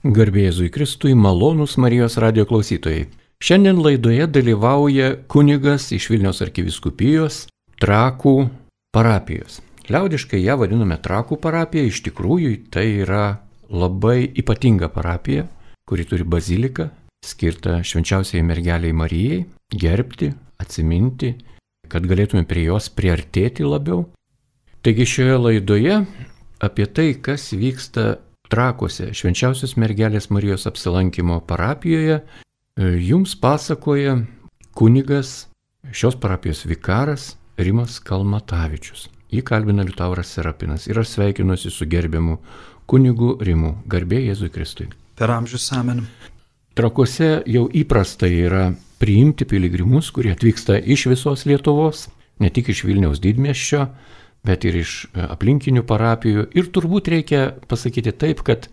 Garbė Jėzui Kristui, malonūs Marijos radijo klausytojai. Šiandien laidoje dalyvauja kunigas iš Vilniaus arkivyskupijos Trakų parapijos. Liaudiškai ją vadiname Trakų parapija, iš tikrųjų tai yra labai ypatinga parapija, kuri turi baziliką, skirtą švenčiausiai mergeliai Marijai, gerbti, atsiminti, kad galėtume prie jos priartėti labiau. Taigi šioje laidoje apie tai, kas vyksta Trakuose švenčiausios mergelės Marijos apsilankimo parapijoje, jums pasakoja kunigas, šios parapijos vikaras Rimas Kalmatavičius. Jį kalbina Liutauras Serapinas ir aš sveikinuosi su gerbiamu kunigu Rimu. Garbė Jėzui Kristui. Per amžius amen. Trakuose jau įprasta yra priimti piligrimus, kurie atvyksta iš visos Lietuvos, ne tik iš Vilniaus didmiesčio, bet ir iš aplinkinių parapijų. Ir turbūt reikia pasakyti taip, kad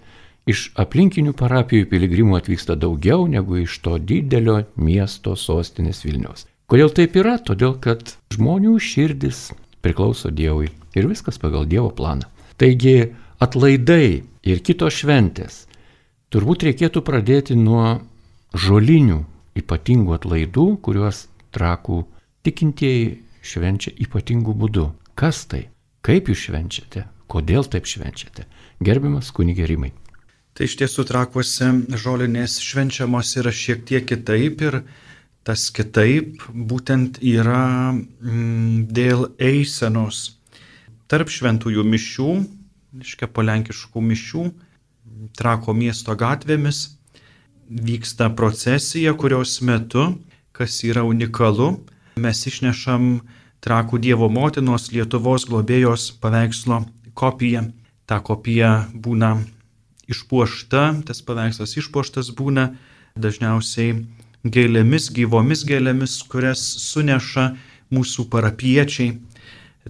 iš aplinkinių parapijų piligrimų atvyksta daugiau negu iš to didelio miesto sostinės Vilniaus. Kodėl taip yra? Todėl, kad žmonių širdis priklauso Dievui ir viskas pagal Dievo planą. Taigi atlaidai ir kitos šventės turbūt reikėtų pradėti nuo žolinių ypatingų atlaidų, kuriuos Trakų tikintieji švenčia ypatingų būdų. Kas tai? Kaip jūs švenčiate? Kodėl taip švenčiate? Gerbiamas kunige Rimai. Tai iš tiesų Trakuose žolinės švenčiamos yra šiek tiek kitaip ir tas kitaip būtent yra dėl eisenos. Tarp šventųjų mišių, po lenkiškų mišių, Trako miesto gatvėmis vyksta procesija, kurios metu, kas yra unikalu, mes išnešam Trakų Dievo motinos Lietuvos globėjos paveikslo kopiją. Ta kopija būna išpuošta, tas paveikslas išpuoštas būna dažniausiai gėlėmis, gyvomis gėlėmis, kurias suneša mūsų parapiečiai.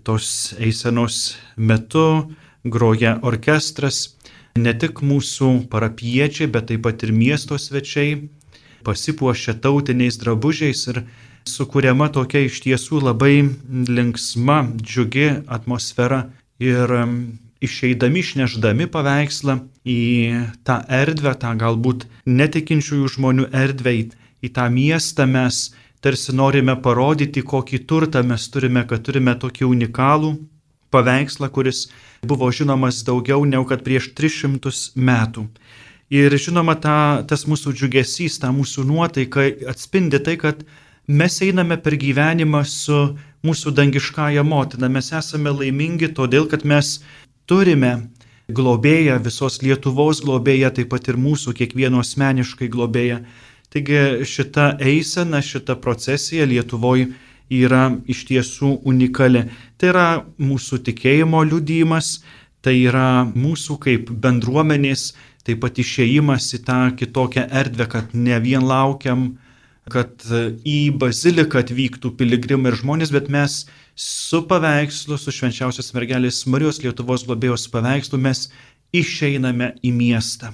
Tos eisenos metu groja orkestras, ne tik mūsų parapiečiai, bet taip pat ir miesto svečiai pasipuošia tautiniais drabužiais ir sukuriama tokia iš tiesų labai linksma, džiugi atmosfera ir išeidami, išnešdami paveikslą į tą erdvę, tą galbūt netikinčiųjų žmonių erdvę, į tą miestą mes tarsi norime parodyti, kokį turtą mes turime, kad turime tokį unikalų paveikslą, kuris buvo žinomas daugiau negu kad prieš 300 metų. Ir žinoma, tas mūsų džiugesys, ta mūsų nuotaika atspindi tai, kad mes einame per gyvenimą su mūsų dangiškąja motina. Mes esame laimingi todėl, kad mes turime globėją, visos Lietuvos globėją, taip pat ir mūsų kiekvieno asmeniškai globėją. Taigi šita eisena, šita procesija Lietuvoje yra iš tiesų unikali. Tai yra mūsų tikėjimo liudijimas, tai yra mūsų kaip bendruomenės, taip pat išėjimas į tą kitokią erdvę, kad ne vien laukiam, kad į baziliką atvyktų piligrimai ir žmonės, bet mes su paveikslu, su švenčiausios mergelės Marijos Lietuvos globėjos paveikslu mes išeiname į miestą.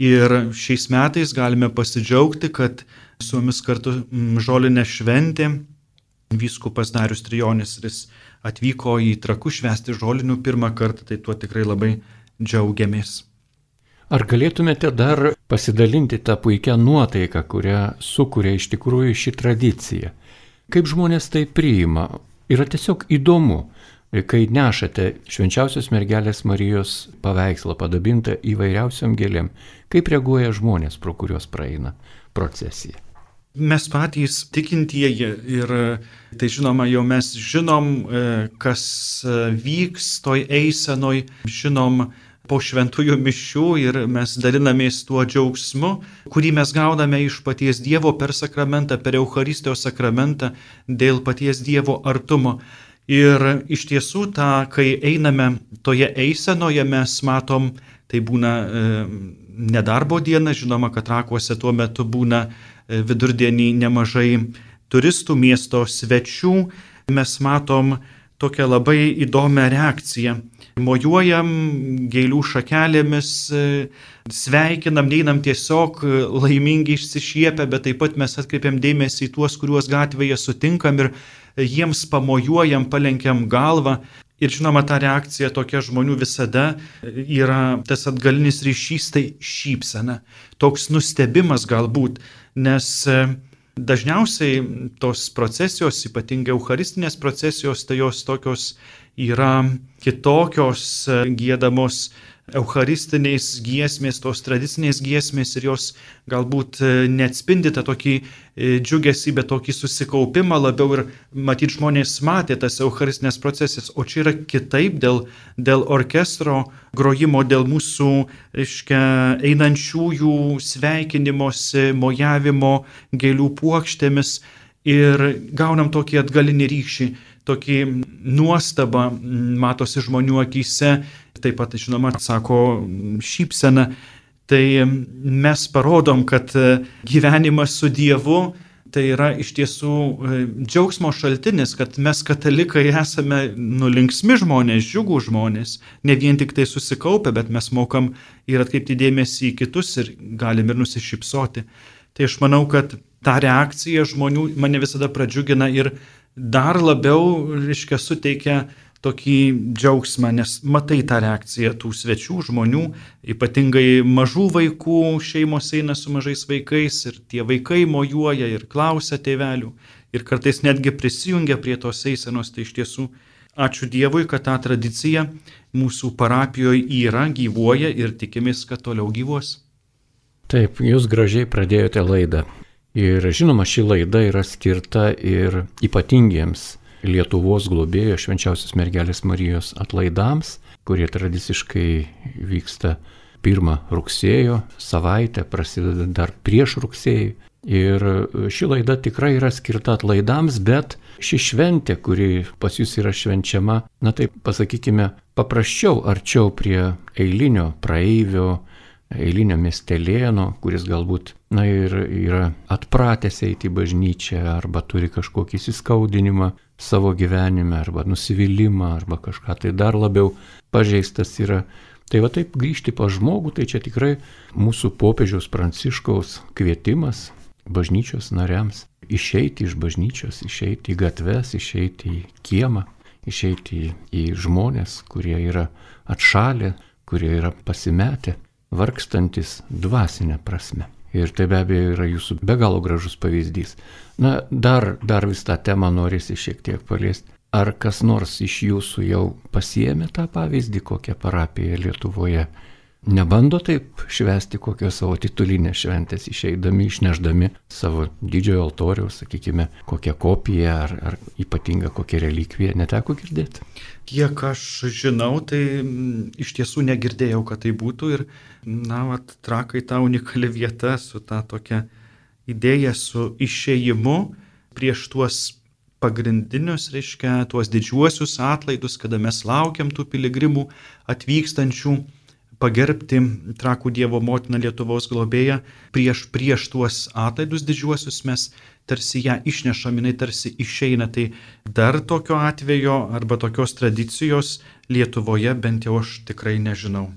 Ir šiais metais galime pasidžiaugti, kad su mumis kartu žolinė šventė vyskupas Darius Trijonis, ir jis atvyko į Trakus švęsti žolinių pirmą kartą, tai tuo tikrai labai džiaugiamės. Ar galėtumėte dar pasidalinti tą puikią nuotaiką, kurią sukuria iš tikrųjų ši tradicija? Kaip žmonės tai priima? Yra tiesiog įdomu, kai nešate švenčiausios mergelės Marijos paveikslą padabintą įvairiausiom gėlėm. Kaip reaguoja žmonės, pro kuriuos praeina procesija? Mes patys tikintieji ir tai žinoma, jau mes žinom, kas vyks toj eisenoj, žinom po šventųjų mišių ir mes dalinamės tuo džiaugsmu, kurį mes gauname iš paties Dievo per sakramentą, per Eucharistijos sakramentą, dėl paties Dievo artumo. Ir iš tiesų, kai einame toje eisenoje, mes matom, tai būna nedarbo diena, žinoma, kad Trakuose tuo metu būna vidurdienį nemažai turistų, miesto svečių, mes matom tokią labai įdomią reakciją. Mojuojam gėlių šakelėmis, sveikinam, neinam tiesiog laimingi išsišiepę, bet taip pat mes atkreipiam dėmesį į tuos, kuriuos gatvėje sutinkam ir jiems pamojuojam, palenkiam galvą. Ir žinoma, ta reakcija tokia žmonių visada yra tas atgalinis ryšys, tai šypsena, toks nustebimas galbūt, nes dažniausiai tos procesijos, ypatingai eucharistinės procesijos, tai jos tokios yra kitokios, giedamos eucharistiniais giesmės, tos tradicinės giesmės, ir jos galbūt neatspindi tą tokį džiugesį, bet tokį susikaupimą labiau, ir matyt žmonės matė tas eucharistinės procesijas, o čia yra kitaip dėl orkestro grojimo, dėl mūsų, einančiųjų sveikinimosi, mojavimo gėlių puokštėmis, ir gaunam tokį atgalinį ryšį, tokį nuostabą matosi žmonių akyse, taip pat, žinoma, sako šypsena. Tai mes parodom, kad gyvenimas su Dievu tai yra iš tiesų džiaugsmo šaltinis, kad mes katalikai esame linksmi žmonės, džiugų žmonės, ne vien tik tai susikaupę, bet mes mokam ir atkreipti dėmesį į kitus ir galim ir nusišypsoti. Tai aš manau, kad ta reakcija žmonių mane visada pradžiugina ir dar labiau, suteikia tokį džiaugsmą, nes matai tą reakciją tų svečių žmonių, ypatingai mažų vaikų, šeimos eina su mažais vaikais ir tie vaikai mojuoja ir klausia tėvelių ir kartais netgi prisijungia prie tos eisenos. Tai iš tiesų ačiū Dievui, kad ta tradicija mūsų parapijoje yra, gyvuoja ir tikimės, kad toliau gyvuos. Taip, jūs gražiai pradėjote laidą. Ir žinoma, ši laida yra skirta ir ypatingiems Lietuvos globėjo Švenčiausios mergelės Marijos atlaidams, kurie tradiciškai vyksta 1 rugsėjo savaitę, prasideda dar prieš rugsėjį. Ir ši laida tikrai yra skirta atlaidams, bet ši šventė, kuri pas jūs yra švenčiama, na taip pasakykime, paprasčiau, arčiau prie eilinio praeivio, eilinio miestelėno, kuris galbūt, na ir yra atpratęs eiti į bažnyčią, arba turi kažkokį įsiskaudinimą savo gyvenime, arba nusivylimą, arba kažką tai dar labiau pažeistas yra. Tai va taip grįžti pas žmogų, tai čia tikrai mūsų popiežiaus Pranciškaus kvietimas bažnyčios nariams išeiti iš bažnyčios, išeiti į gatves, išeiti į kiemą, išeiti į žmonės, kurie yra atšalę, kurie yra pasimetę, vargstantis dvasinę prasme. Ir tai be abejo yra jūsų be galo gražus pavyzdys. Na, dar vis tą temą norisi šiek tiek paliesti. Ar kas nors iš jūsų jau pasiėmė tą pavyzdį, kokią parapiją Lietuvoje? Nebando taip švęsti kokios savo titulinės šventės, išeidami, išneždami savo didžiojo altoriaus, sakykime, kokią kopiją ar ypatingą kokią relikviją, neteko girdėti? Kiek aš žinau, tai iš tiesų negirdėjau, kad tai būtų, ir Trakai ta unikali vieta su ta tokia idėja, su išėjimu prieš tuos pagrindinius, tuos didžiuosius atlaidus, kada mes laukiam tų piligrimų atvykstančių pagerbti Trakų Dievo motiną Lietuvos globėją. Prieš tuos atlaidus didžiuosius mes tarsi ją išnešam, jinai tarsi išeina. Tai dar tokio atvejo arba tokios tradicijos Lietuvoje bent jau aš tikrai nežinau.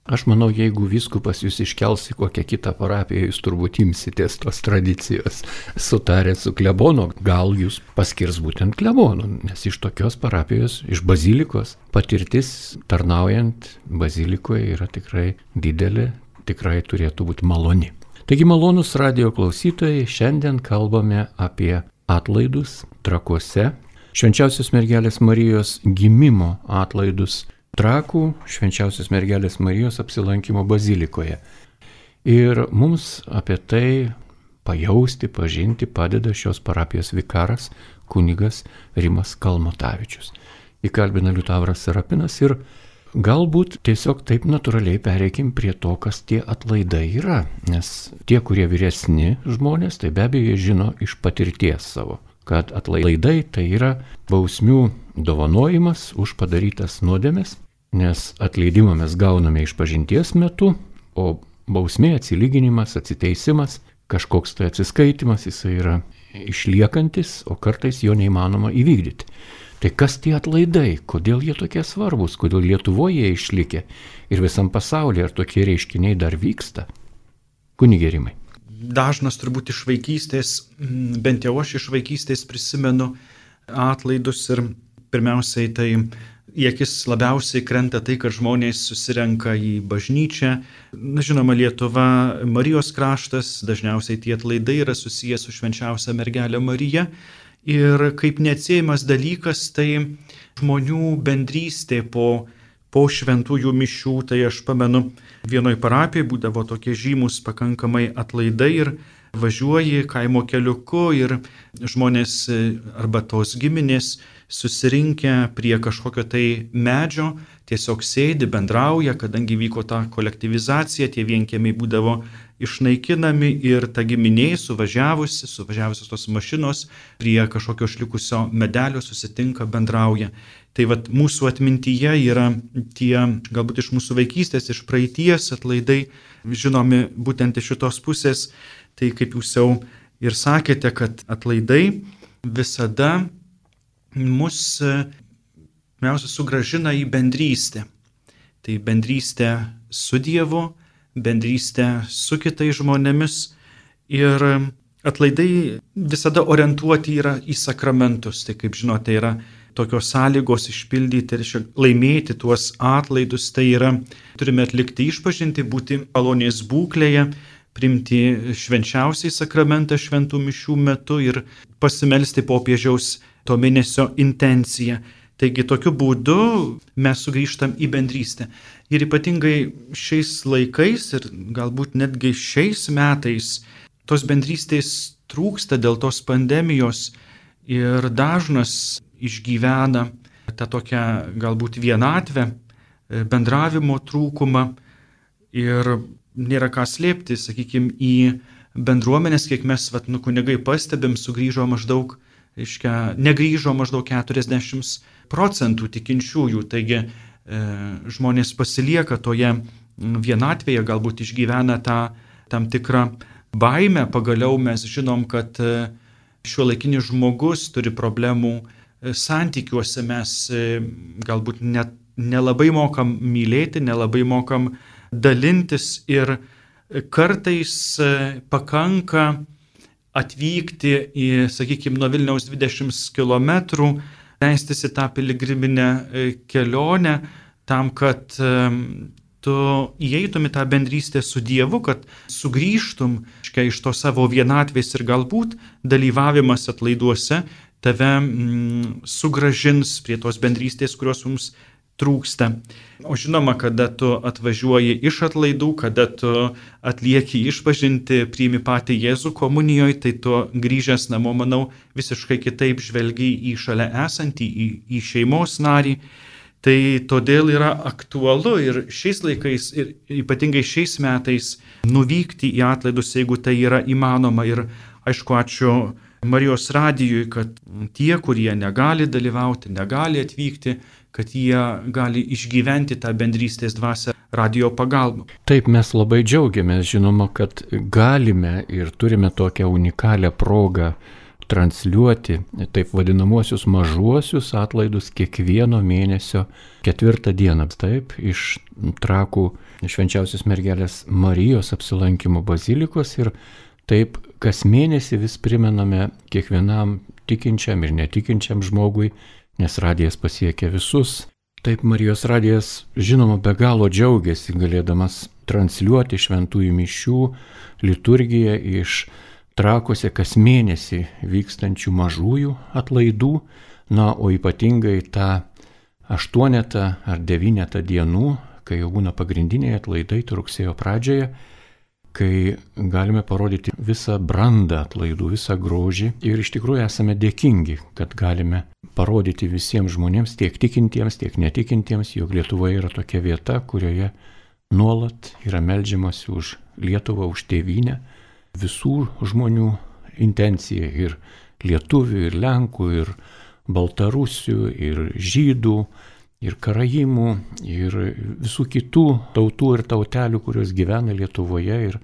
Aš manau, jeigu vyskupas jūs iškels į kokią kitą parapiją, jūs turbūt imsitės tos tradicijos. Sutarę su klebonu, gal jūs paskirs būtent klebonu, nes iš tokios parapijos, iš bazilikos, patirtis tarnaujant bazilikoje yra tikrai didelė, tikrai turėtų būti maloni. Taigi malonus radijo klausytojai, šiandien kalbame apie atlaidus Trakuose, Švenčiausios mergelės Marijos gimimo atlaidus Trakų Švenčiausios mergelės Marijos apsilankimo bazilikoje. Ir mums apie tai pajausti, pažinti padeda šios parapijos vikaras kunigas Rimas Kalmotavičius. Įkalbina Liutauras Serapinas ir galbūt tiesiog taip natūraliai pereikim prie to, kas tie atlaidai yra. Nes tie, kurie vyresni žmonės, tai be abejo žino iš patirties savo, kad atlaidai tai yra bausmių dovanojimas už padarytas nuodėmes, nes atleidimą mes gauname išpažinties metu, o bausmė, atsilyginimas, atsiteisimas, kažkoks tai atsiskaitimas, jisai yra išliekantis, o kartais jo neįmanoma įvykdyti. Tai kas tie atlaidai, kodėl jie tokie svarbus, kodėl Lietuvoje jie išlikę ir visam pasaulyje, ar tokie reiškiniai dar vyksta? Kunige Rimai. Dažnas turbūt iš vaikystės, bent jau aš iš vaikystės prisimenu atlaidus, ir pirmiausiai tai į akis labiausiai krenta tai, kad žmonės susirenka į bažnyčią. Na, žinoma, Lietuva Marijos kraštas, dažniausiai tie atlaidai yra susijęs su švenčiausia mergelė Marija. Ir kaip neatsiejamas dalykas, tai žmonių bendrystė po šventųjų mišių. Tai aš pamenu, vienoj parapijoje būdavo tokie žymus pakankamai atlaidai ir važiuoji kaimo keliuku ir žmonės arba tos giminės susirinkę prie kažkokio tai medžio tiesiog sėdi, bendrauja, kadangi vyko ta kolektyvizacija, tie vienkiemiai būdavo išnaikinami ir ta giminė suvažiavusios tos mašinos prie kažkokio išlikusio medelio susitinka, bendrauja. Tai vat mūsų atmintyje yra tie, galbūt iš mūsų vaikystės, iš praeities atlaidai, žinomi būtent iš šitos pusės. Tai kaip jūs jau ir sakėte, kad atlaidai visada mus pirmiausia sugrąžina į bendrystę. Tai bendrystę su Dievu, bendrystę su kitais žmonėmis ir atlaidai visada orientuoti yra į sakramentus. Tai kaip žinote, yra tokios sąlygos išpildyti ir laimėti tuos atlaidus. Tai yra, turime atlikti išpažintį, būti malonės būklėje, priimti švenčiausiai sakramentą šventų mišių metu ir pasimelsti popiežiaus to mėnesio intenciją. Taigi tokiu būdu mes sugrįžtam į bendrystę. Ir ypatingai šiais laikais ir galbūt netgi šiais metais tos bendrystės trūksta dėl tos pandemijos ir dažnas išgyvena tą tokią galbūt vienatvę, bendravimo trūkumą ir nėra ką slėpti, sakykime, į bendruomenės, kiek mes kunigai pastebim, negrįžo maždaug 40% tikinčiųjų, taigi žmonės pasilieka toje vienatvėje, galbūt išgyvena tą tam tikrą baimę. Pagaliau mes žinom, kad šiuolaikinis žmogus turi problemų santykiuose, mes galbūt net nelabai mokam mylėti, nelabai mokam dalintis ir kartais pakanka atvykti į, sakykime, nuo Vilniaus 20 km, leistis į tą piligriminę kelionę tam, kad tu įeitum į tą bendrystę su Dievu, kad sugrįžtum iš to savo vienatvės ir galbūt dalyvavimas atlaiduose tave sugrąžins prie tos bendrystės, kurios mums trūksta. O žinoma, kada tu atvažiuoji iš atlaidų, kada tu atlieki išpažintį, priimi patį Jėzų komunijoje, tai tu grįžęs namo, manau, visiškai kitaip žvelgi į šalia esantį, į šeimos narį. Tai todėl yra aktualu ir šiais laikais, ir ypatingai šiais metais nuvykti į atlaidus, jeigu tai yra įmanoma. Ir aišku, ačiū Marijos radijui, kad tie, kurie negali dalyvauti, negali atvykti, kad jie gali išgyventi tą bendrystės dvasią radijo pagalba. Taip, mes labai džiaugiamės, žinoma, kad galime ir turime tokią unikalią progą transliuoti taip vadinamuosius mažuosius atlaidus kiekvieno mėnesio 4 dieną. Taip, iš Trakų švenčiausios mergelės Marijos apsilankimo bazilikos ir taip kas mėnesį vis primename kiekvienam tikinčiam ir netikinčiam žmogui, nes radijas pasiekia visus. Taip, Marijos radijas, žinoma, be galo džiaugiasi galėdamas transliuoti šventųjų mišių liturgiją iš Trakuose kas mėnesį vykstančių mažųjų atlaidų, na, o ypatingai tą 8 ar 9 dienų, kai jau būna pagrindiniai atlaidai rugsėjo pradžioje, kai galime parodyti visą brandą atlaidų, visą grožį ir iš tikrųjų esame dėkingi, kad galime parodyti visiems žmonėms, tiek tikintiems, tiek netikintiems, jog Lietuvoje yra tokia vieta, kurioje nuolat yra meldžiamasi už Lietuvą, už tėvynę, visų žmonių intencija ir lietuvių, ir lenkų, ir baltarusių, ir žydų, ir karaimų, ir visų kitų tautų ir tautelių, kurios gyvena Lietuvoje ir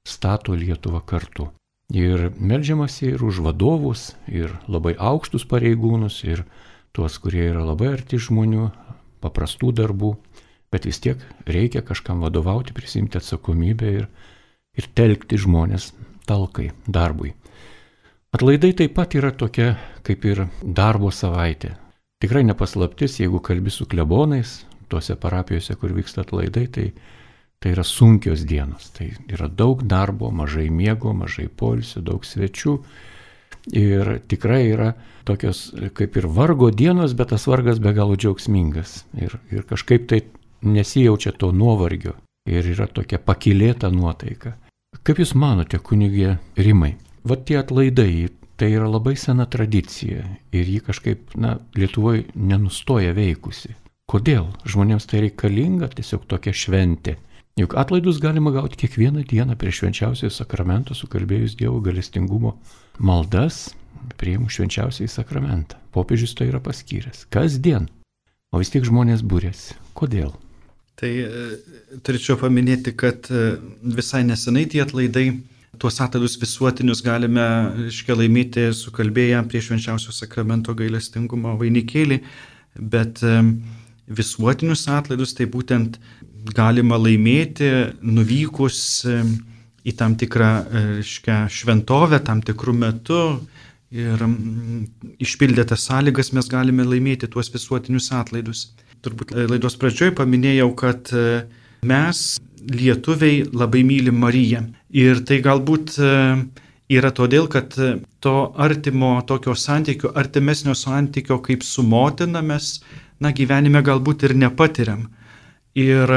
stato Lietuvą kartu. Ir meldžiamasi ir už vadovus, ir labai aukštus pareigūnus, ir tuos, kurie yra labai arti žmonių, paprastų darbų, bet vis tiek reikia kažkam vadovauti, prisimti atsakomybę ir telkti žmonės talkai, darbui. Atlaidai taip pat yra tokia kaip ir darbo savaitė. tikrai nepaslaptis, jeigu kalbi su klebonais, tuose parapijose, kur vyksta atlaidai, tai yra sunkios dienos. Tai yra daug darbo, mažai miego, mažai poilsio, daug svečių. Ir tikrai yra tokios kaip ir vargo dienos, bet tas vargas be galo džiaugsmingas. Ir kažkaip tai nesijaučia to nuovargio. Ir yra tokia pakylėta nuotaika. Kaip Jūs manote, kunigė Rimai, tie atlaidai, tai yra labai sena tradicija ir ji kažkaip, Lietuvoje nenustoja veikusi. Kodėl? Žmonėms tai reikalinga tiesiog tokia šventė. Juk atlaidus galima gauti kiekvieną dieną prie švenčiausiojo sakramento, sukalbėjus Dievo gailestingumo maldas, priėmus švenčiausiąjį sakramentą. Popiežius tai yra paskyręs. Kasdien. O vis tiek žmonės būrėsi. Kodėl? Tai turėčiau paminėti, kad visai nesenai tie atlaidai, tuos atlaidus visuotinius galime laimėti sukalbėję prie švenčiausio sakramento gailestingumo vainikėlį, bet visuotinius atlaidus tai būtent galima laimėti nuvykus į tam tikrą šventovę, tam tikrų metų ir išpildę tas sąlygas mes galime laimėti tuos visuotinius atlaidus. Turbūt laidos pradžioje paminėjau, kad mes, lietuviai, labai mylim Mariją. Ir tai galbūt yra todėl, kad to artimo tokio santykio, artimesnio santykio kaip su motina mes, gyvenime galbūt ir nepatiriam. Ir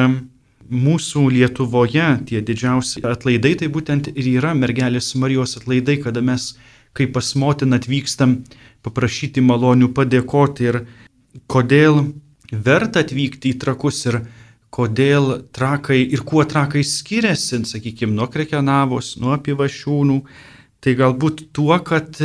mūsų Lietuvoje tie didžiausi atlaidai, tai būtent ir yra mergelės Marijos atlaidai, kada mes kaip pas motiną atvykstam paprašyti malonių, padėkoti. Ir kodėl verta atvykti į Trakus ir kodėl Trakai ir kuo Trakai skiriasi, sakykime, nuo Krekenavos, nuo Pivašiūnų, tai galbūt tuo, kad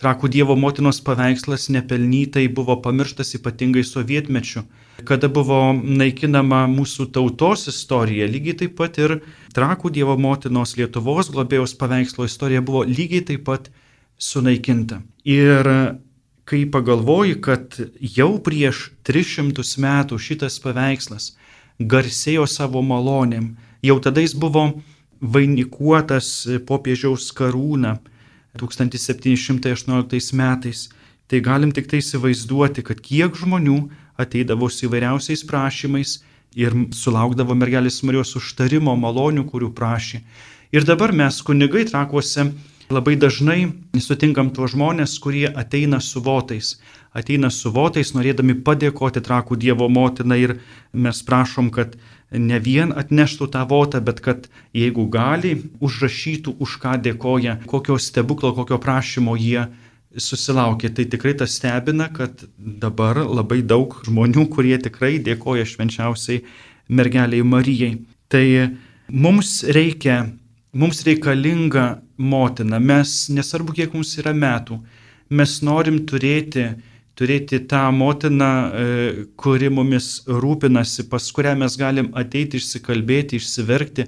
Trakų Dievo motinos paveikslas nepelnytai buvo pamirštas ypatingai sovietmečiu, kada buvo naikinama mūsų tautos istorija, lygiai taip pat ir Trakų Dievo motinos Lietuvos globėjos paveikslo istorija buvo lygiai taip pat sunaikinta. Ir kai pagalvoji, kad jau prieš 300 metų šitas paveikslas garsėjo savo malonėm, jau tada jis buvo vainikuotas popiežiaus karūna 1718 metais, tai galim tik tai įsivaizduoti, kad kiek žmonių ateidavo su įvairiausiais prašymais ir sulaukdavo mergelės Marijos užtarimo malonių, kurių prašė. Ir dabar mes, kunigai Trakuose, labai dažnai sutinkam tuos žmonės, kurie ateina su votais, norėdami padėkoti Trakų Dievo motinai ir mes prašom, kad ne vien atneštų tą votą, bet kad jeigu gali, užrašytų, už ką dėkoja, kokio stebuklo, kokio prašymo jie susilaukė. Tai tikrai tas stebina, kad dabar labai daug žmonių, kurie tikrai dėkoja švenčiausiai mergeliai Marijai. Tai mums reikalinga motina, mes, nesvarbu kiek mums yra metų, mes norim turėti tą motiną, kuri mumis rūpinasi, pas kurią mes galim ateiti, išsikalbėti, išsiverkti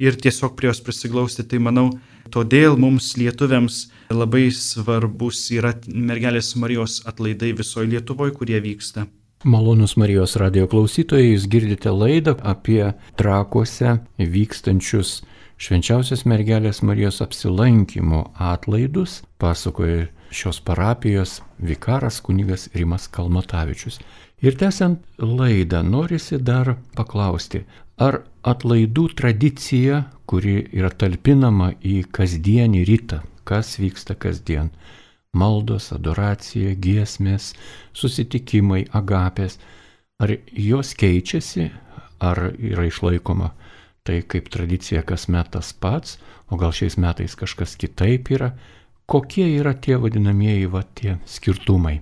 ir tiesiog prie jos prisiglausti. Tai manau, todėl mums lietuviams labai svarbus yra mergelės Marijos atlaidai visoje Lietuvoje, kurie vyksta. Malonūs Marijos radijo klausytojai, jūs girdite laidą apie Trakuose vykstančius švenčiausios mergelės Marijos apsilankymų atlaidus, pasakoja šios parapijos vikaras kunigas Rimas Kalmatavičius. Ir tęsiant laidą, norisi dar paklausti, ar atlaidų tradicija, kuri yra talpinama į kasdienį rytą, kas vyksta kasdien, maldos, adoracija, giesmės, susitikimai, agapės, ar jos keičiasi, ar yra išlaikoma tai kaip tradicija kasmet tas pats, o gal šiais metais kažkas kitaip yra. Kokie yra tie vadinamieji tie skirtumai?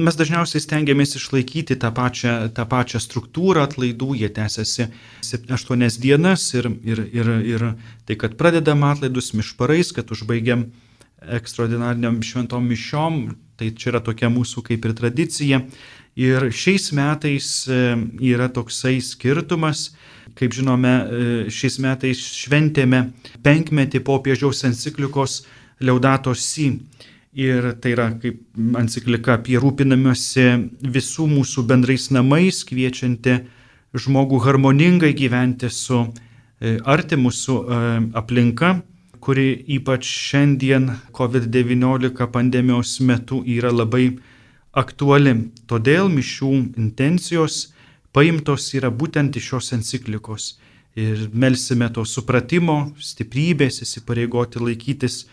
Mes dažniausiai stengiamės išlaikyti tą pačią struktūrą atlaidų, jie tęsiasi 8 dienas ir tai, kad pradedam atlaidus mišparais, kad užbaigiam ekstraordinariniam šventom mišiom, tai čia yra tokia mūsų kaip ir tradicija. Ir šiais metais yra toksai skirtumas, kaip žinome, šiais metais šventėme 5-metį popiežiaus enciklikos Laudato Si. Ir tai yra kaip enciklika apie rūpinamiuose visų mūsų bendrais namais, kviečianti žmogų harmoningai gyventi su artimu, su aplinka, kuri ypač šiandien COVID-19 pandemijos metu yra labai aktuali. Todėl mišių intencijos paimtos yra būtent iš šios enciklikos. Ir melsime to supratimo, stiprybės, įsipareigoti laikytis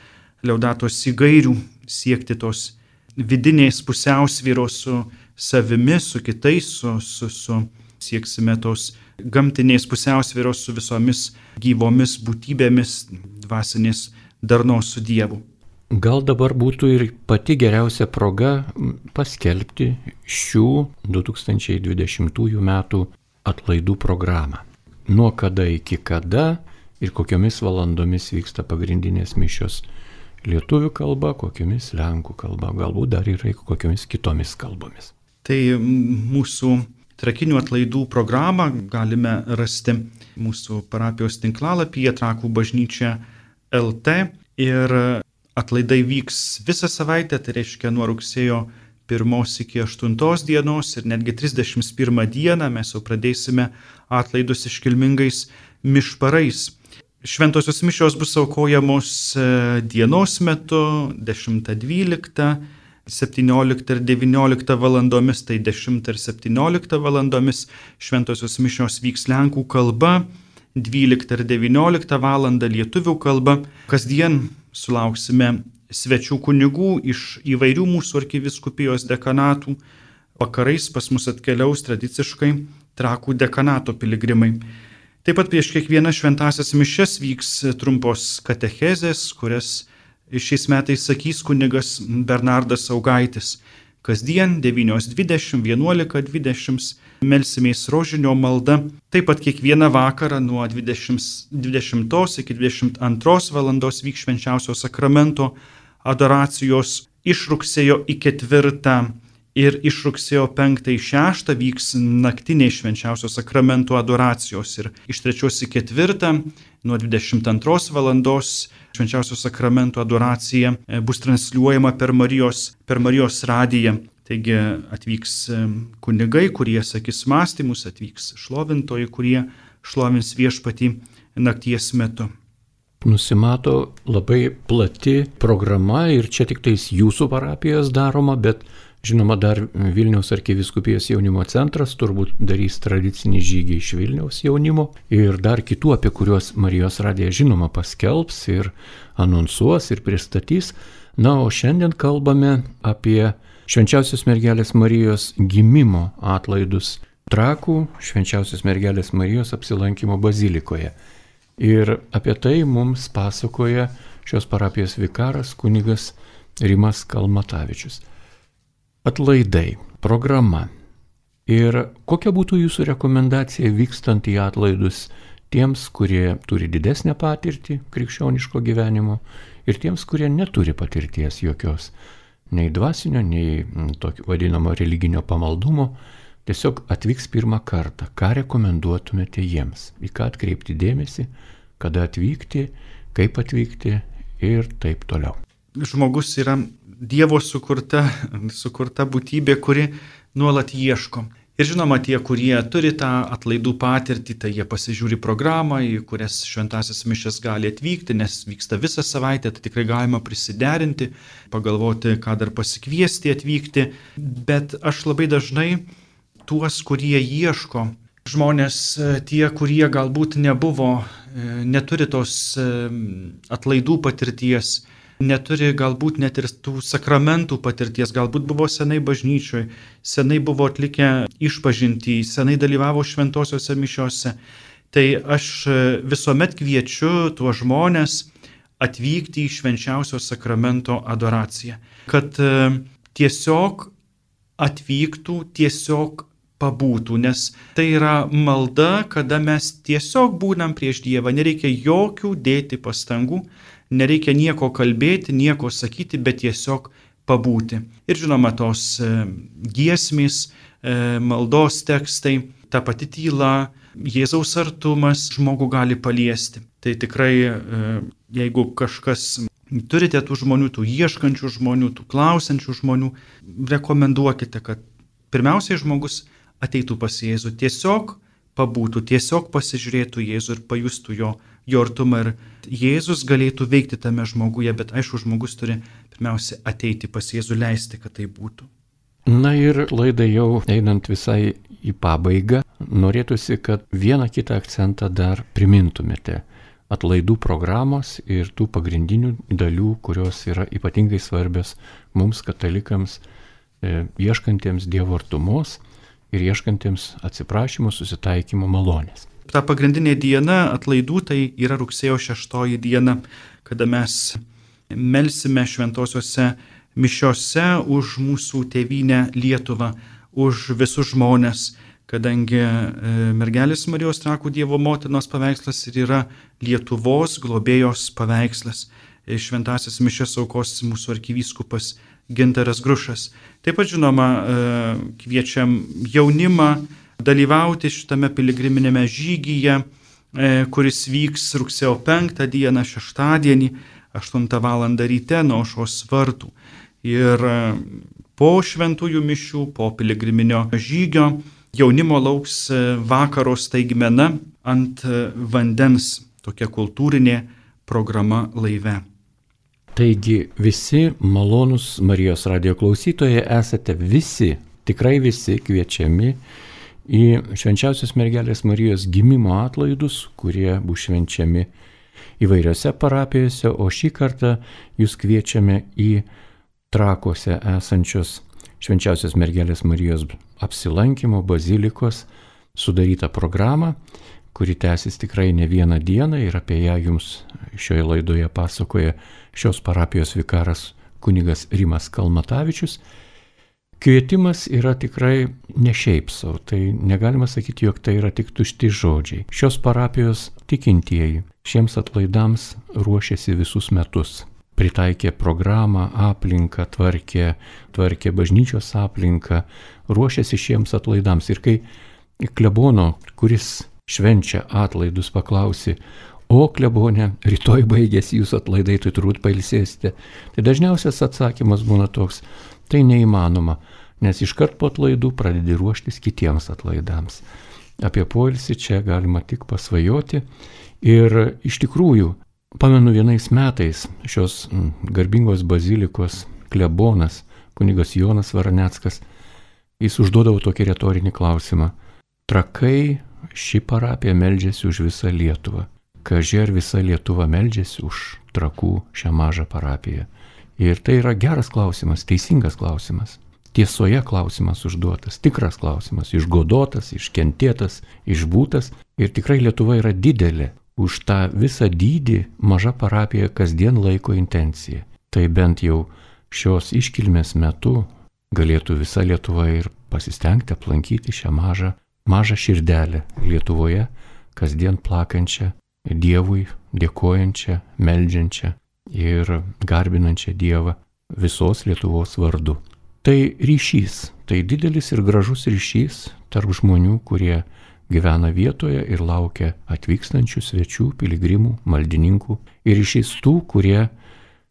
Laudato Si gairių, siekti tos vidinės pusiausvyros su savimi, su kitais, sieksime tos gamtinės pusiausvyros su visomis gyvomis būtybėmis, dvasinės darnos su Dievu. Gal dabar būtų ir pati geriausia proga paskelbti šių 2020 metų atlaidų programą. Nuo kada iki kada ir kokiomis valandomis vyksta pagrindinės mišios lietuvių kalba, kokiomis lenkų kalba, galbūt dar ir kokiomis kitomis kalbomis. Tai mūsų Trakinių atlaidų programą galime rasti mūsų parapijos tinklalapyje Trakų bažnyčia LT ir atlaidai vyks visą savaitę, tai reiškia nuo rugsėjo 1 iki 8 dienos ir netgi 31 dieną mes jau pradėsime atlaidus iškilmingais mišparais. Šventosios mišios bus aukojamos dienos metu 10-12, 17 ir 19 valandomis, tai 10 ir 17 valandomis. Šventosios mišios vyks lenkų kalba, 12 ir 19 valandą lietuvių kalba. Kasdien sulauksime svečių kunigų iš įvairių mūsų arkivyskupijos dekanatų. Vakarais pas mus atkeliaus tradiciškai Trakų dekanato piligrimai. Taip pat prieš kiekvieną šventąsias mišias vyks trumpos katechezės, kurias šiais metais sakys kunigas Bernardas Saugaitis. Kasdien 9:20, 11:20 melsimės rožinio malda. Taip pat kiekvieną vakarą nuo 20 iki 22 valandos vyks švenčiausio sakramento adoracijos. Iš rugsėjo į 4 ir iš rugsėjo 5-6 vyks naktiniai švenčiausio sakramento adoracijos. Ir iš 3 į 4 nuo 22 valandos švenčiausio sakramento adoracija bus transliuojama per Marijos radiją. Taigi atvyks kunigai, kurie sakys mąstymus, atvyks šlovintojai, kurie šlovins Viešpatį nakties metu. Nusimato labai plati programa ir čia tik tais jūsų parapijos daroma, bet žinoma dar Vilniaus arkivyskupijos jaunimo centras turbūt darys tradicinį žygį iš Vilniaus jaunimo ir dar kitų, apie kuriuos Marijos radija žinoma paskelbs ir anonsuos ir pristatys. Na, o šiandien kalbame apie Švenčiausios mergelės Marijos gimimo atlaidus Trakų Švenčiausios mergelės Marijos apsilankimo bazilikoje. Ir apie tai mums pasakoja šios parapijos vikaras kunigas Rimas Kalmatavičius. Atlaidai, programa. Ir kokia būtų jūsų rekomendacija vykstant į atlaidus tiems, kurie turi didesnę patirtį krikščioniško gyvenimo ir tiems, kurie neturi patirties jokios, nei dvasinio, nei tokio vadinamo religinio pamaldumo, tiesiog atvyks pirmą kartą. Ką rekomenduotumėte jiems? Į ką atkreipti dėmesį, kada atvykti, kaip atvykti ir taip toliau. Žmogus yra Dievo sukurta būtybė, kuri nuolat ieško. Ir žinoma, tie, kurie turi tą atlaidų patirtį, tai jie pasižiūri programą, į kurias šventąsias mišias gali atvykti, nes vyksta visą savaitę, tai tikrai galima prisiderinti, pagalvoti, ką dar pasikviesti atvykti. Bet aš labai dažnai tuos, kurie ieško, žmonės tie, kurie galbūt neturi tos atlaidų patirties, neturi galbūt net ir tų sakramentų patirties, galbūt buvo senai bažnyčioje, senai buvo atlikę išpažintį, senai dalyvavo šventosiuose mišiose. Tai aš visuomet kviečiu tuos žmonės atvykti į švenčiausio sakramento adoraciją, kad tiesiog atvyktų, tiesiog pabūtų, nes tai yra malda, kada mes tiesiog būnam prieš Dievą, nereikia jokių dėti pastangų, nereikia nieko kalbėti, nieko sakyti, bet tiesiog pabūti. Ir žinoma, tos giesmės, maldos tekstai, ta pati tyla, Jėzaus artumas žmogų gali paliesti. Tai tikrai, jeigu kažkas turite tų žmonių, tų ieškančių žmonių, tų klausančių žmonių, rekomenduokite, kad pirmiausiai žmogus ateitų pas Jėzų, tiesiog pabūtų, tiesiog pasižiūrėtų Jėzų ir pajustų jo artumą ir Jėzus galėtų veikti tame žmoguje, bet aišku, žmogus turi pirmiausia ateiti pas Jėzų, leisti, kad tai būtų. Na ir laidai jau einant visai į pabaigą, norėtųsi, kad vieną kitą akcentą dar primintumėte atlaidų programos ir tų pagrindinių dalių, kurios yra ypatingai svarbios mums katalikams, ieškantiems Dievo artumos ir ieškantiems atsiprašymų, susitaikymo malonės. Ta pagrindinė diena atlaidų tai yra rugsėjo 6 diena, kada mes melsime šventosiuose mišiose už mūsų tėvynę Lietuvą, už visus žmones, kadangi mergelės Marijos Trakų Dievo motinos paveikslas ir yra Lietuvos globėjos paveikslas. Šventąsias mišias aukos mūsų arkivyskupas Gintaras Grušas. Taip pat, žinoma, kviečiam jaunimą dalyvauti šitame piligriminėme žygyje, kuris vyks rugsėjo 5 dieną, šeštadienį, 8 val. Ryte nuo aušros vartų. Ir po šventųjų mišių, po piligriminio žygio, jaunimo lauks vakaro staigmena ant vandens, tokia kultūrinė programa laive. Taigi visi malonūs Marijos radijo klausytojai esate visi, tikrai visi kviečiami į švenčiausios mergelės Marijos gimimo atlaidus, kurie bus švenčiami įvairiose parapijose, o šį kartą jūs kviečiame į Trakuose esančios švenčiausios mergelės Marijos apsilankymo bazilikos sudarytą programą, kuri tęsis tikrai ne vieną dieną ir apie ją jums šioje laidoje pasakoja šios parapijos vikaras kunigas Rimas Kalmatavičius. Kvietimas yra tikrai ne šiaip savo, tai negalima sakyti, jog tai yra tik tušti žodžiai. Šios parapijos tikintieji šiems atlaidams ruošiasi visus metus. Pritaikė programą, aplinką, tvarkė bažnyčios aplinką, ruošiasi šiems atlaidams. Ir kai klebono, kuris švenčia atlaidus, paklausi, o klebone, rytoj baigėsi jūsų atlaidai, tai turbūt pailsėsite. Tai dažniausias atsakymas būna toks, tai neįmanoma, nes iškart po atlaidų pradedi ruoštis kitiems atlaidams. Apie poilsį čia galima tik pasvajoti. Ir iš tikrųjų, pamenu vienais metais šios garbingos bazilikos klebonas, kunigas Jonas Varaneckas, jis užduodavo tokį retorinį klausimą. Trakai ši parapija meldžiasi už visą Lietuvą. Kaži ar visa Lietuva meldžiasi už Trakų šią mažą parapiją. Ir tai yra geras klausimas, teisingas klausimas. Tiesoje klausimas užduotas, tikras klausimas, išgodotas, iškentėtas, išbūtas. Ir tikrai Lietuva yra didelė. Už tą visą dydį maža parapija kasdien laiko intenciją. Tai bent jau šios iškilmės metu galėtų visa Lietuva ir pasistengti aplankyti šią mažą širdelę Lietuvoje, kasdien plakančią Dievui, dėkojančią, meldžiančią ir garbinančią Dievą visos Lietuvos vardu. Tai ryšys, tai didelis ir gražus ryšys tarp žmonių, kurie gyvena vietoje ir laukia atvykstančių svečių, piligrimų, maldininkų. Ir ryšys tų, kurie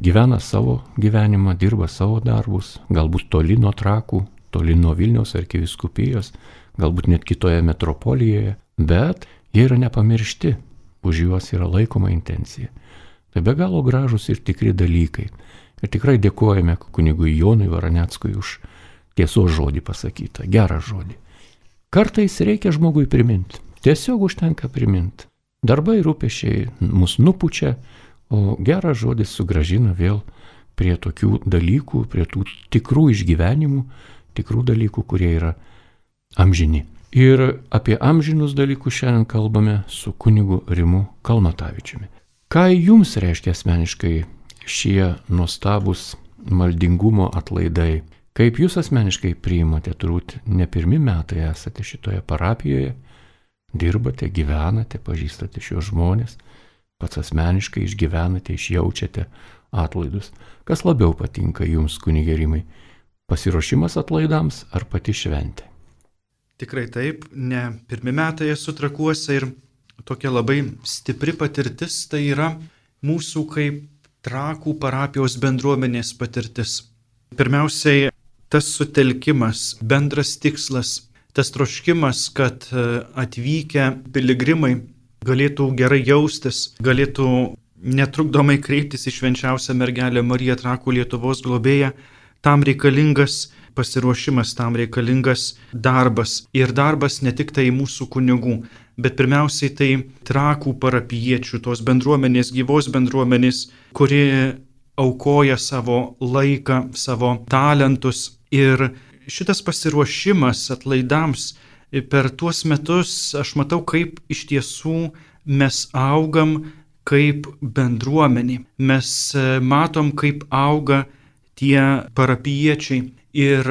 gyvena savo gyvenimą, dirba savo darbus, galbūt toli nuo Trakų, toli nuo Vilniaus arkivyskupijos, galbūt net kitoje metropolijoje, bet jie yra nepamiršti, už juos yra laikoma intencija. Tai be galo gražus ir tikri dalykai. Ir tikrai dėkojame kunigui Jonui Varaneckui už tiesos žodį pasakytą, gerą žodį. Kartais reikia žmogui priminti, tiesiog užtenka priminti. Darbai rūpesčiai mus nupučia, o geras žodis sugrąžina vėl prie tokių dalykų, prie tų tikrų išgyvenimų, tikrų dalykų, kurie yra amžini. Ir apie amžinus dalykus šiandien kalbame su kunigu Rimu Kalmatavičiumi. Ką jums reiškia asmeniškai šie nuostabus maldingumo atlaidai? Kaip jūs asmeniškai priimate, turbūt ne pirmi metai esate šitoje parapijoje, dirbate, gyvenate, pažįstate šios žmonės, pats asmeniškai išgyvenate, išjaučiate atlaidus. Kas labiau patinka jums, kunige Rimai? Pasiruošimas atlaidams ar pati šventė? Tikrai taip, ne pirmi metai esu Trakuose ir tokia labai stipri patirtis tai yra mūsų kaip Trakų parapijos bendruomenės patirtis. Pirmiausiai, tas sutelkimas, bendras tikslas, tas troškimas, kad atvykę piligrimai galėtų gerai jaustis, galėtų netrukdomai kreiptis į švenčiausią mergelę Mariją Trakų Lietuvos globėją, tam reikalingas pasiruošimas, tam reikalingas darbas. Ir darbas ne tik tai mūsų kunigų, bet pirmiausiai tai Trakų parapijiečių, tos bendruomenės, gyvos bendruomenės, kuri aukoja savo laiką, savo talentus. Ir šitas pasiruošimas atlaidams per tuos metus aš matau, kaip iš tiesų mes augam kaip bendruomenė. Mes matom, kaip auga tie parapijiečiai. Ir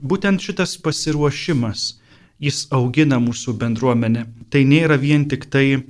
būtent šitas pasiruošimas, jis augina mūsų bendruomenę. Tai nėra vien tik tai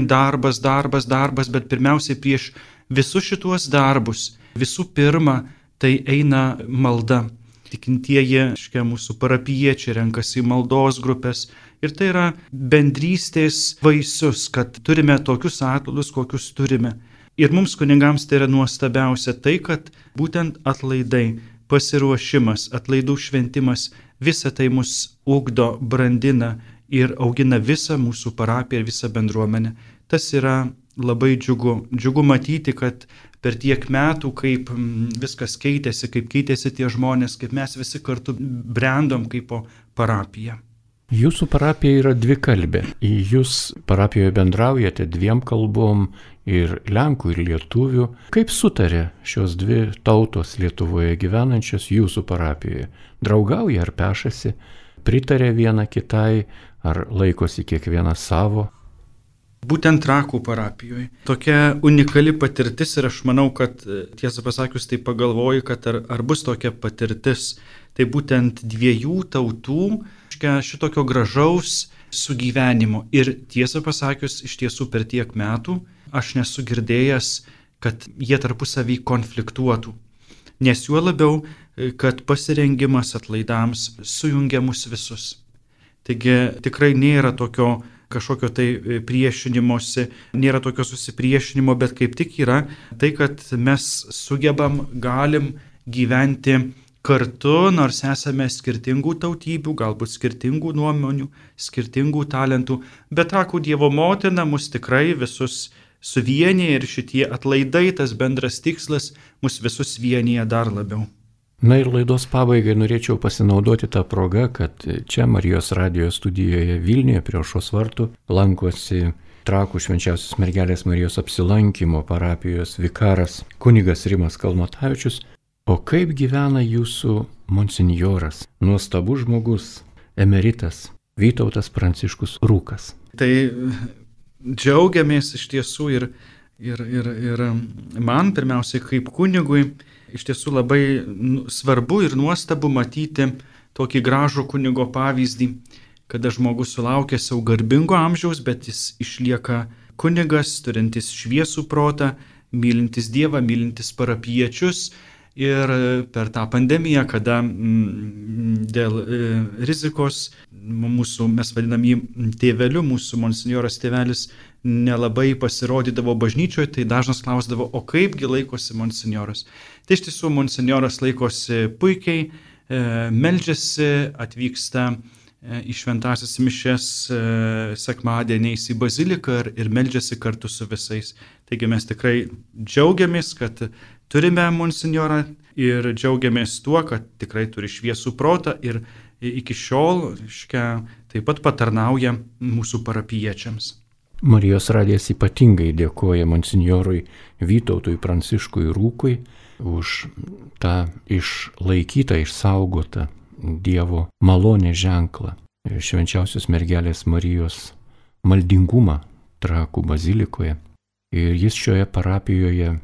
darbas, bet pirmiausiai prieš visus šituos darbus, visų pirma, tai eina malda. Tikintieji, mūsų parapijiečiai renkasi maldos grupės ir tai yra bendrystės vaisius, kad turime tokius atlaidus, kokius turime. Ir mums kunigams tai yra nuostabiausia tai, kad būtent atlaidai, pasiruošimas, atlaidų šventimas, visa tai mus ugdo, brandina ir augina visą mūsų parapiją ir visą bendruomenę. Tas yra labai džiugu. Džiugu matyti, kad per tiek metų, kaip viskas keitėsi, kaip keitėsi tie žmonės, kaip mes visi kartu brendom kaip po parapiją. Jūsų parapija yra dvikalbė. Jūs parapijoje bendraujate dviem kalbom, ir lenkų, ir lietuvių. Kaip sutarė šios dvi tautos Lietuvoje gyvenančios jūsų parapijoje? Draugauja ar pešasi? Pritarė viena kitai, ar laikosi kiekviena savo? Būtent Trakų parapijoje. Tokia unikali patirtis ir aš manau, kad tiesą pasakius, tai pagalvoju, kad ar bus tokia patirtis. Tai būtent dviejų tautų šitokio gražaus sugyvenimo. Ir tiesą pasakius, iš tiesų per tiek metų aš nesu girdėjęs, kad jie tarpusavį konfliktuotų. Nes juo labiau, kad pasirengimas atlaidams sujungia mus visus. Taigi tikrai nėra tokio kažkokio tai priešinimosi, nėra tokio susipriešinimo, bet kaip tik yra tai, kad mes sugebam, galim gyventi kartu, nors esame skirtingų tautybių, galbūt skirtingų nuomonių, skirtingų talentų, bet Trakų Dievo motina mus tikrai visus suvienyje ir šitie atlaidai, tas bendras tikslas, mus visus vienyje dar labiau. Na ir laidos pabaigai norėčiau pasinaudoti tą progą, kad čia Marijos radijo studijoje Vilniuje prie Aušros vartų lankosi Trakų Švenčiausios Mergelės Marijos apsilankymo parapijos vikaras kunigas Rimas Kalnotavičius. O kaip gyvena jūsų monsinjoras, nuostabus žmogus, emeritas Vytautas Pranciškus Rūkas? Tai džiaugiamės iš tiesų ir man pirmiausiai kaip kunigui iš tiesų labai svarbu ir nuostabu matyti tokį gražų kunigo pavyzdį, kada žmogus sulaukia savo garbingo amžiaus, bet jis išlieka kunigas, turintis šviesų protą, mylintis Dievą, mylintis parapijiečius. Ir per tą pandemiją, kada dėl rizikos mes vadinam jį tėveliu, mūsų monsinjoras tėvelis nelabai pasirodydavo bažnyčioje, tai dažnas klausdavo, o kaipgi laikosi monsinjoras. Tai iš tiesų monsinjoras laikosi puikiai, meldžiasi, atvyksta į šventąsias mišias sekmadieniais į baziliką ir meldžiasi kartu su visais. Taigi mes tikrai džiaugiamės, kad turime monsinjorą ir džiaugiamės tuo, kad tikrai turi šviesų protą ir iki šiol taip pat patarnauja mūsų parapijiečiams. Marijos radijas ypatingai dėkoja monsinjorui Vytautui Pranciškui Rūkui už tą išlaikytą, išsaugotą Dievo malonės ženklą, Švenčiausios Mergelės Marijos maldingumą Trakų bazilikoje. Ir jis šioje parapijoje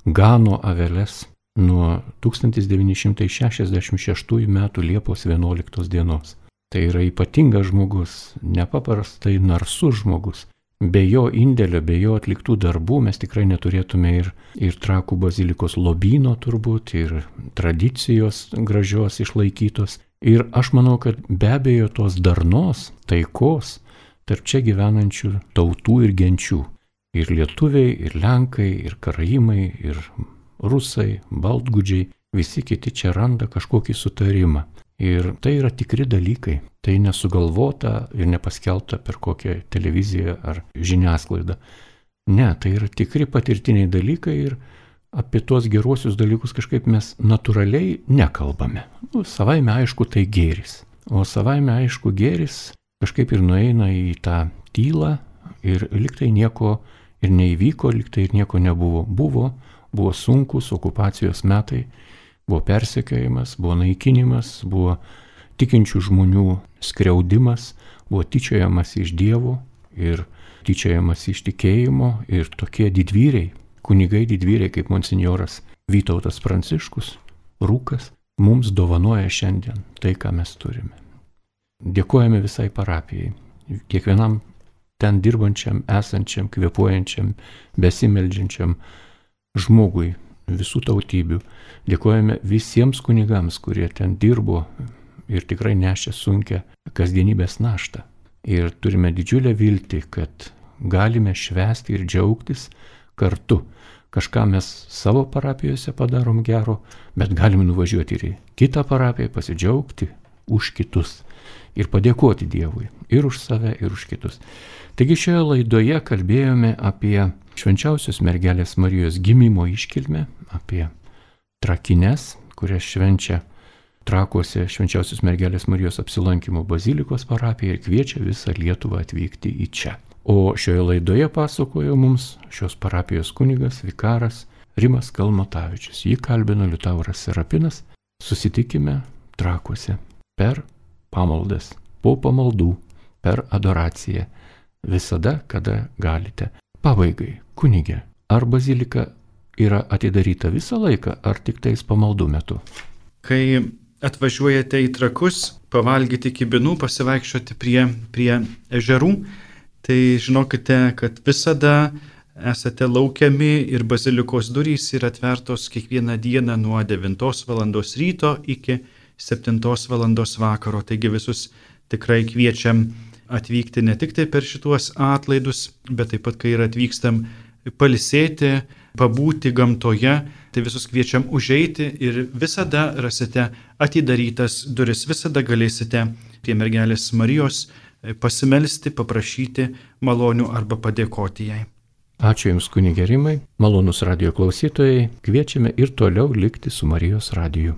gano aveles nuo 1966 metų Liepos 11 dienos. Tai yra ypatingas žmogus, nepaprastai narsus žmogus. Be jo indėlio, be jo atliktų darbų mes tikrai neturėtume ir Trakų bazilikos lobyno turbūt, ir tradicijos gražios išlaikytos. Ir aš manau, kad be abejo tos darnos, taikos tarp čia gyvenančių tautų ir genčių. Ir lietuviai, ir lenkai, ir karaimai, ir rusai, baltgudžiai, visi kiti čia randa kažkokį sutarimą. Ir tai yra tikri dalykai, tai nesugalvota ir nepaskelbta per kokią televiziją ar žiniasklaidą. Ne, tai yra tikri patirtiniai dalykai ir apie tuos geruosius dalykus kažkaip mes natūraliai nekalbame. Savaime aišku, tai gėris. O savaime aišku, gėris kažkaip ir nueina į tą tylą ir liktai nieko ir neįvyko, liktai ir nieko nebuvo. Buvo sunkus okupacijos metai, buvo persekiojimas, buvo naikinimas, buvo tikinčių žmonių skriaudimas, buvo tyčiojamas iš Dievo ir tyčiojamas iš tikėjimo ir tokie didvyriai, kunigai didvyriai kaip monsinjoras Vytautas Pranciškus, Rūkas, mums dovanoja šiandien tai, ką mes turime. Dėkojame visai parapijai, kiekvienam ten dirbančiam, esančiam, kvėpuojančiam, besimeldžiančiam žmogui visų tautybių. Dėkojame visiems kunigams, kurie ten dirbo ir tikrai nešė sunkią kasdienybės naštą. Ir turime didžiulę viltį, kad galime švęsti ir džiaugtis kartu. Kažką mes savo parapijose padarom gero, bet galime nuvažiuoti ir į kitą parapiją, pasidžiaugti už kitus ir padėkoti Dievui ir už save, ir už kitus. Taigi šioje laidoje kalbėjome apie švenčiausios mergelės Marijos gimimo iškilmę, apie Trakines, kurias švenčia Trakuose švenčiausios mergelės Marijos apsilankimo bazilikos parapija ir kviečia visą Lietuvą atvykti į čia. O šioje laidoje pasakojo mums šios parapijos kunigas, vikaras Rimas Kalmatavičius. Jį kalbino Liutauras Serapinas. Susitikime Trakuose per pamaldas, po pamaldų, per adoraciją. Visada, kada galite. Pabaigai, kunige, ar bazilika yra atidaryta visą laiką, ar tik tais pamaldų metu? Kai atvažiuojate į Trakus, pavalgyti kibinų, pasivaikščioti prie ežerų, tai žinokite, kad visada esate laukiami ir bazilikos durys yra atvertos kiekvieną dieną nuo 9 val. Ryto iki 7 val. Vakaro. Taigi visus tikrai kviečiam atvykti ne tik tai per šituos atlaidus, bet taip pat, kai ir atvykstam pailsėti, pabūti gamtoje, tai visus kviečiam užeiti ir visada rasite atidarytas duris, visada galėsite prie mergelės Marijos pasimelsti, paprašyti malonių arba padėkoti jai. Ačiū Jums, kunige Rimai, malonūs radijo klausytojai, kviečiame ir toliau likti su Marijos radiju.